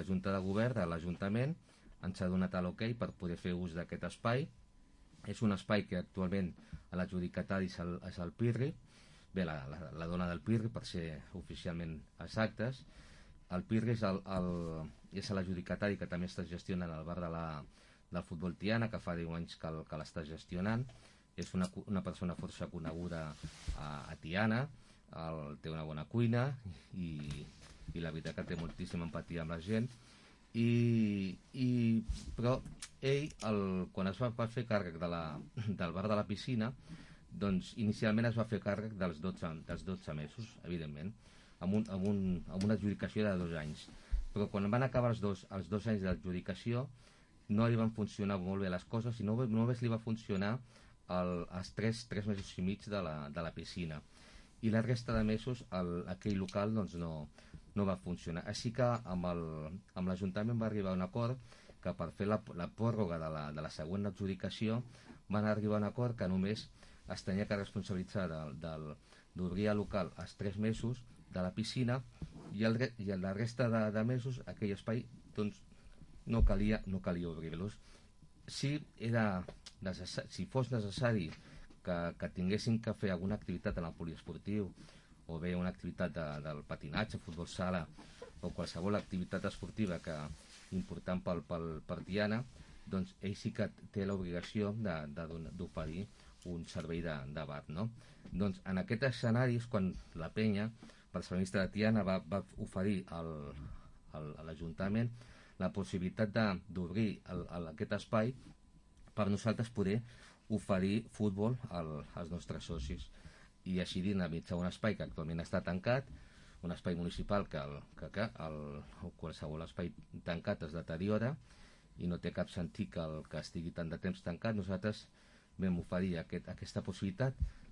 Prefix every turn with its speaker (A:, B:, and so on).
A: la Junta de Govern de l'Ajuntament ens ha donat l'ok per poder fer ús d'aquest espai. És un espai que actualment l'adjudicatari és el PIRRI, bé, la dona del PIRRI, per ser oficialment exactes. El PIRRI és l'adjudicatari que també està gestionant el bar del Futbol Tiana, que fa 10 anys que l'està gestionant. És una persona força coneguda a Tiana, té una bona cuina i la veritat que té moltíssima empatia amb la gent. Però ell, quan es va fer càrrec del bar de la piscina, doncs inicialment es va fer càrrec dels 12 mesos, evidentment, amb una adjudicació de 2 anys. Però quan van acabar els dos anys d'adjudicació no li van funcionar molt bé les coses i només li va funcionar els 3 mesos i mig de la piscina, i la resta de mesos aquell local doncs, no va funcionar. Així que amb l'Ajuntament va arribar a un acord que per fer la pròrroga de la següent adjudicació van arribar a un acord que només es tenia que responsabilitzar d'obrir el local els 3 mesos de la piscina, i la resta de mesos aquell espai doncs, no calia obrir-los. Si fos necessari que tinguessin que fer alguna activitat en el poliesportiu, o bé una activitat del patinatge, futbol sala, o qualsevol activitat esportiva important per Tiana, doncs ell sí que té l'obligació d'oferir un servei de bar, no? Doncs en aquest escenari és quan la penya personalista de Tiana va oferir a l'Ajuntament la possibilitat d'obrir aquest espai per nosaltres poder oferir futbol als nostres socis, i així dinamitzar un espai que actualment està tancat, un espai municipal que qualsevol espai tancat es deteriora i no té cap sentit que estigui tant de temps tancat. Nosaltres vam oferir aquesta possibilitat.